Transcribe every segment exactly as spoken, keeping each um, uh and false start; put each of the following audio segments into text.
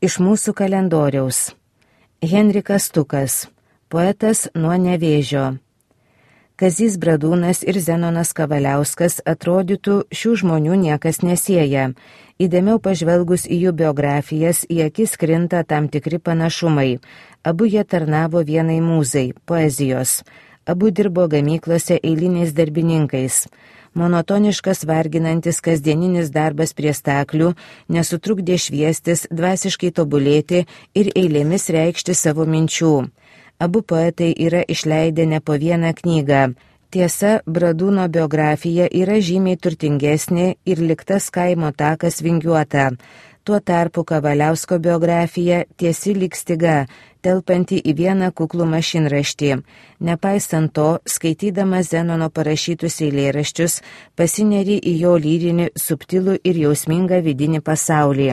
Iš mūsų kalendoriaus. Henrikas Stukas, poetas nuo Nevėžio. Kazys Bradūnas ir Zenonas Kavaliauskas atrodytų šių žmonių niekas nesieja. Įdėmiau pažvelgus į jų biografijas, į akis krinta tam tikri panašumai. Abu jie tarnavo vienai mūzai – poezijos. Abu dirbo gamyklose eiliniais darbininkais. Monotoniškas varginantis kasdieninis darbas prie staklių nesutrukdė šviestis, dvasiškai tobulėti ir eilėmis reikšti savo minčių. Abu poetai yra išleidę ne po vieną knygą. Tiesa, Bradūno biografija yra žymiai turtingesnė ir liktas kaimo takas vingiuota. Tuo tarpu Kavaliausko biografija tiesi lyg styga, telpanti į vieną kuklų mašinraštį. Nepaisant to, skaitydamas Zenono parašytus eilėraščius, pasineri į jo lyrinį, subtilų ir jausmingą vidinį pasaulį.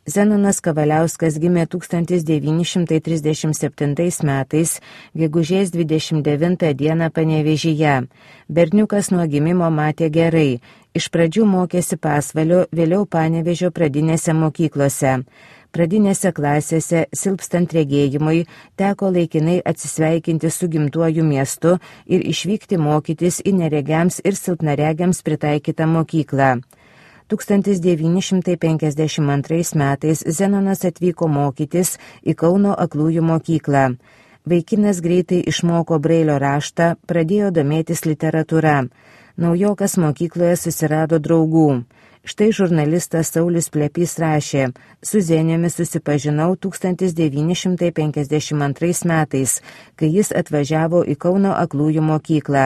Zenonas Kavaliauskas gimė tūkstantis devyni šimtai trisdešimt septintais metais, gegužės dvidešimt devintą dieną Panevėžyje. Berniukas nuo gimimo matė gerai. Iš pradžių mokėsi Pasvalio, vėliau Panevėžio pradinėse mokyklose. Pradinėse klasėse, silpstant regėjimui, teko laikinai atsisveikinti su gimtuoju miestu ir išvykti mokytis į neregiams ir silpnaregiams pritaikytą mokyklą. tūkstantis devyni šimtai penkiasdešimt antrais metais Zenonas atvyko mokytis į Kauno aklųjų mokyklą. Vaikinas greitai išmoko Brailio raštą, pradėjo domėtis literatūra. Naujokas mokykloje susirado draugų. Štai žurnalistas Saulius Plepys rašė: su Zeniumi susipažinau tūkstantis devyni šimtai penkiasdešimt antrais metais, kai jis atvažiavo į Kauno aklųjų mokyklą.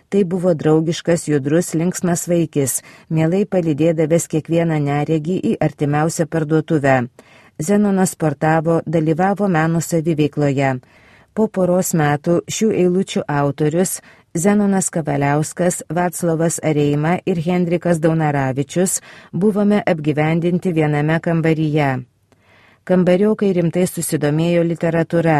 Tai buvo draugiškas, judrus, linksmas vaikis, mielai palydėdavęs kiekvieną neregį į artimiausią parduotuvę. Zenonas sportavo, dalyvavo meno saviveikloje. Po poros metų šių eilučių autorius Zenonas Kavaliauskas, Vaclovas Areima ir Henrikas Daunaravičius buvome apgyvendinti viename kambaryje. Kambariokai rimtai susidomėjo literatūra.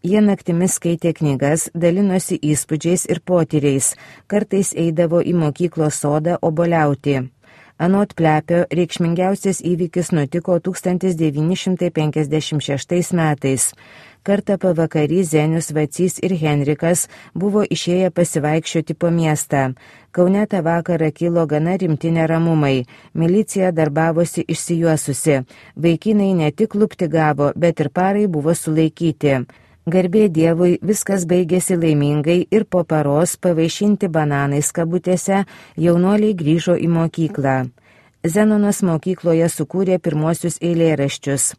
Jie naktimis skaitė knygas, dalinosi įspūdžiais ir potyriais, kartais eidavo į mokyklos sodą obuoliauti. Anot Plepio, reikšmingiausias įvykis nutiko tūkstantis devyni šimtai penkiasdešimt šeštais metais. Kartą pavakarį Zenius, Vacys ir Henrikas buvo išėję pasivaikščioti po miestą. Kaune tą vakarą kilo gana rimti neramumai. Milicija darbavosi išsijuosusi. Vaikinai ne tik lupti gavo, bet ir parai buvo sulaikyti. Garbė Dievui, viskas baigėsi laimingai ir po paros pavaišinti bananais kabutėse jaunuoliai grįžo į mokyklą. Zenonas mokykloje sukūrė pirmosius eilėraščius.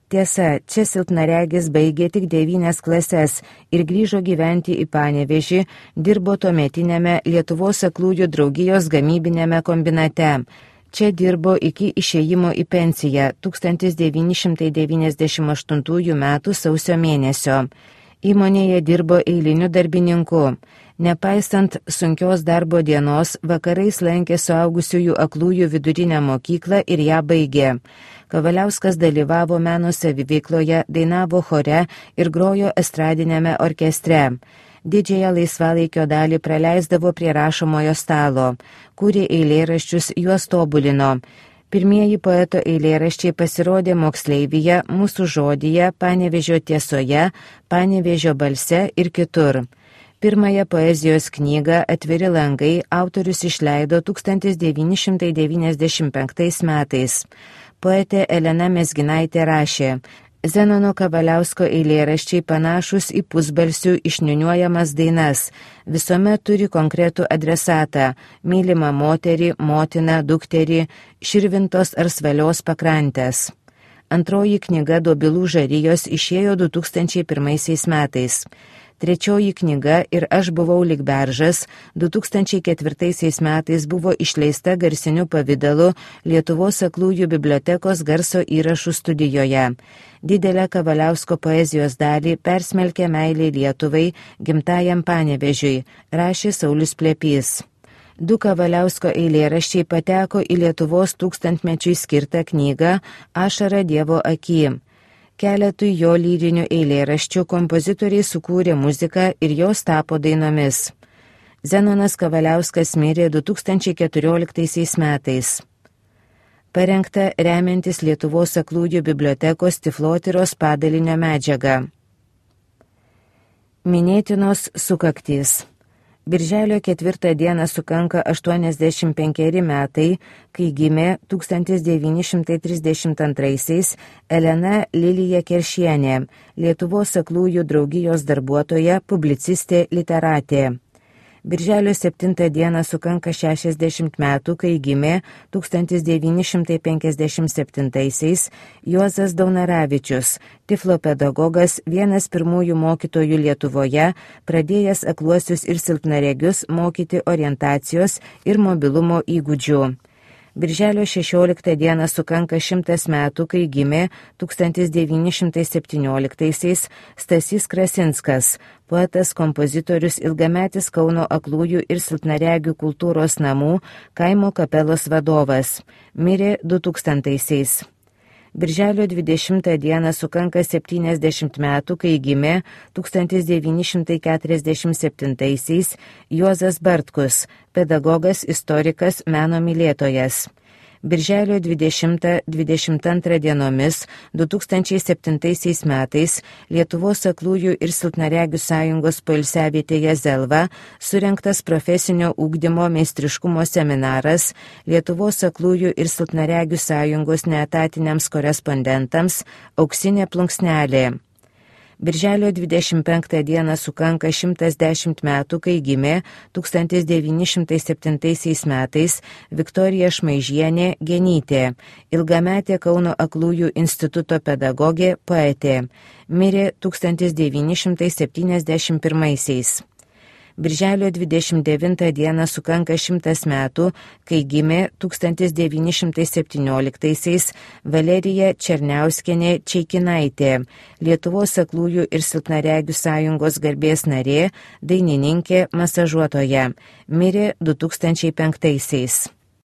Tiesa, čia silpnaregis baigė tik devynias klases ir grįžo gyventi į Panevėžį, dirbo tuometinėme Lietuvos aklųjų draugijos gamybinėme kombinate. Čia dirbo iki išėjimo į pensiją tūkstantis devyni šimtai devyniasdešimt aštuntųjų metų sausio mėnesio. Įmonėje dirbo eiliniu darbininku. Nepaisant sunkios darbo dienos, vakarais lankė suaugusiųjų aklųjų vidurinę mokyklą ir ją baigė. Kavaliauskas dalyvavo meno saviveikloje, dainavo chore ir grojo estradinėme orkestre. Didžiąją laisvalaikio dalį praleisdavo prie rašomojo stalo, kūrė eilėraščius, juos tobulino. Pirmieji poeto eilėraščiai pasirodė Moksleivyje, Mūsų žodyje, Panevėžio tiesoje, Panevėžio balse ir kitur. Pirmąją poezijos knygą Atviri langai autorius išleido tūkstantis devyni šimtai devyniasdešimt penktais metais. Poetė Elena Mezginaitė rašė: Zenono Kavaliausko eilėraščiai panašus į pusbalsių išniuniuojamas dainas. Visuomet turi konkretų adresatą – mylimą moterį, motiną, dukterį, širvintos ar svalios pakrantės. Antroji knyga Dobilų žarijos išėjo du tūkstančiai pirmaisiais metais. Trečioji knyga Ir aš buvau lyg beržas du tūkstančiai ketvirtaisiais metais buvo išleista garsiniu pavidalu Lietuvos aklųjų bibliotekos garso įrašų studijoje. Didelę Kavaliausko poezijos dalį persmelkė meilė Lietuvai, gimtajam Panevėžiui, rašė Saulius Plepys. Du Kavaliausko eilėraščiai pateko į Lietuvos tūkstantmečiui skirtą knygą Ašara Dievo aky. Keletui jo lyrinių eilėraščių kompozitoriai sukūrė muziką ir jos tapo dainomis. Zenonas Kavaliauskas mirė du tūkstančiai keturioliktaisiais metais. parengta remiantis Lietuvos aklųjų bibliotekos Tiflotyros padalinio medžiaga. Minėtinos sukaktys. Birželio ketvirtą dieną sukanka aštuoniasdešimt penkeri metai, kai gimė tūkstantis devyni šimtai trisdešimt antraisiais Elena Lilija Keršienė, Lietuvos aklųjų draugijos darbuotoja, publicistė, literatė. Birželio septintą dieną sukanka šešiasdešimt metų, kai gimė tūkstantis devyni šimtai penkiasdešimt septintaisiais Juozas Daunaravičius, Tiflo pedagogas, vienas pirmųjų mokytojų Lietuvoje, pradėjęs akluosius ir silpnaregius mokyti orientacijos ir mobilumo įgūdžių. Birželio šešioliktą dieną sukanka šimtas metų, kai gimė tūkstantis devyni šimtai septynioliktaisiais Stasys Krasinskas, poetas, kompozitorius, ilgametis Kauno aklųjų ir silpnaregių kultūros namų kaimo kapelos vadovas. Mirė du tūkstantaisiais. Birželio dvidešimtą dieną sukanka septyniasdešimt metų, kai gimė tūkstantis devyni šimtai keturiasdešimt septintaisiais Juozas Bartkus, pedagogas, istorikas, meno mylėtojas. Birželio dvidešimtą dvidešimt antrą dienomis du tūkstančiai septintaisiais metais Lietuvos aklųjų ir silpnaregių sąjungos poilsiavietėje Zelva surengtas profesinio ugdymo meistriškumo seminaras Lietuvos aklųjų ir silpnaregių sąjungos neetatiniams korespondentams Auksinė plunksnelė. Birželio dvidešimt penktą dieną sukanka šimtas dešimt metų, kai gimė tūkstantis devyni šimtai septintaisiais metais Viktorija Šmaižienė Genytė, ilgametė Kauno aklųjų instituto pedagogė, poetė. Mirė tūkstantis devyni šimtai septyniasdešimt pirmaisiais. Birželio dvidešimt devintą dieną sukanka šimtas metų, kai gimė tūkstantis devyni šimtai septynioliktaisiais Valerija Černiauskienė Čeikinaitė, Lietuvos aklųjų ir silpnaregių sąjungos garbės narė, dainininkė, masažuotoja. Mirė du tūkstančiai penktaisiais.